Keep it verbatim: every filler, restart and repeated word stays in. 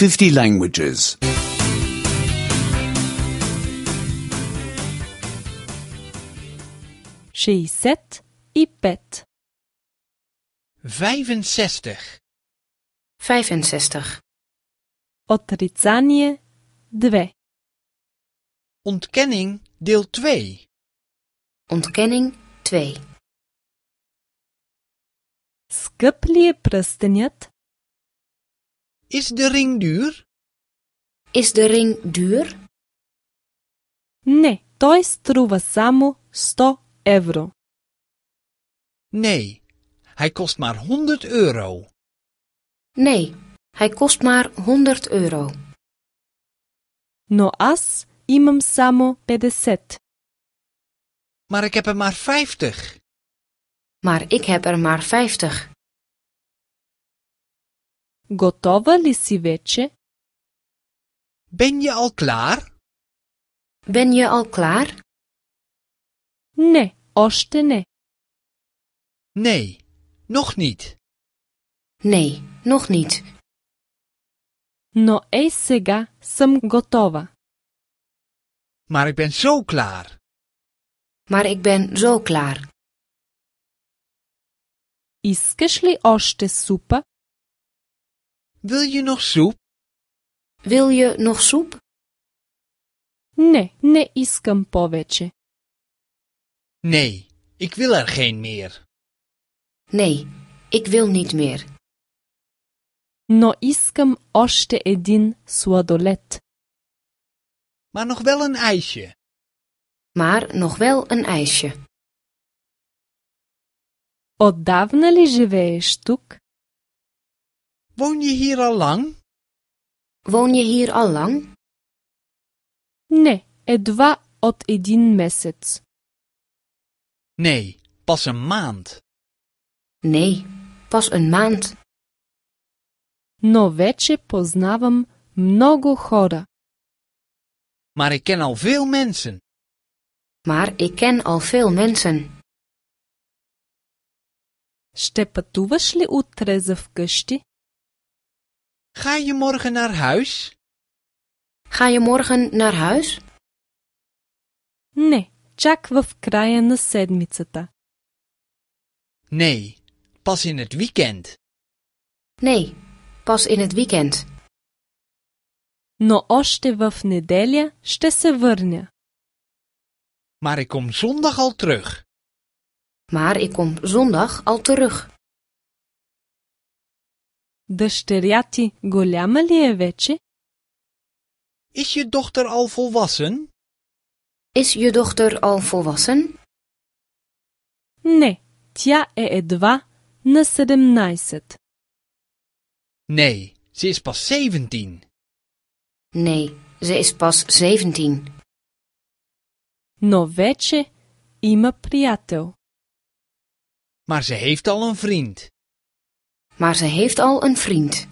fifty languages. шестьдесят и пет. vijfenzestig. vijfenzestig. Отрицание две. Ontkenning deel twee. Ontkenning twee. Скъп ли е пръстенят? Is de ring duur? Is de ring duur? Не, той струва само сто евро. Nee, hij kost maar honderd euro. Nee, hij kost maar honderd euro. Но аз имам само петдесет. Maar ik heb er maar vijftig. Maar ik heb er maar vijftig. Готова ли си вече? Ben je al klaar? Ben je al klaar? Не, още не. Nee, nog niet. Nee, nog niet. Но ей сега съм готова. Maar ik ben zo klaar. Maar ik ben zo klaar. Искаш ли още супа? Wil je nog soep? Wil je nog soep? Не, не искам повече. Nee, ik wil er geen meer. Nee, ik wil niet meer. Но искам още един сладолед. Maar nog wel een ijsje. Maar nog wel een ijsje. Отдавна ли живееш тук? Woon je hier al lang? Woon je hier al lang? Не, едва от един месец. Nee, pas een maand. Nee, pas een maand. Но вече познавам много хора. Maar ik ken al veel mensen. Maar ik ken al veel mensen. Ще пътуваш ли утре за вкъщи? Ga je morgen naar huis? Ga je morgen naar huis? Не, чак в края на седмицата. Nee, pas in het weekend. Nee, pas in het weekend. Но още в неделя ще се върня. Maar ik kom zondag al terug. Maar ik kom zondag al terug. Дъщеря ти голяма ли е вече? Is je dochter al volwassen? Is je dochter al volwassen? Не, тя е едва на седемнайсет. Nee, ze is pas zeventien. Nee, ze is pas zeventien. Но вече има приятел. Maar ze heeft al een vriend. Maar ze heeft al een vriend.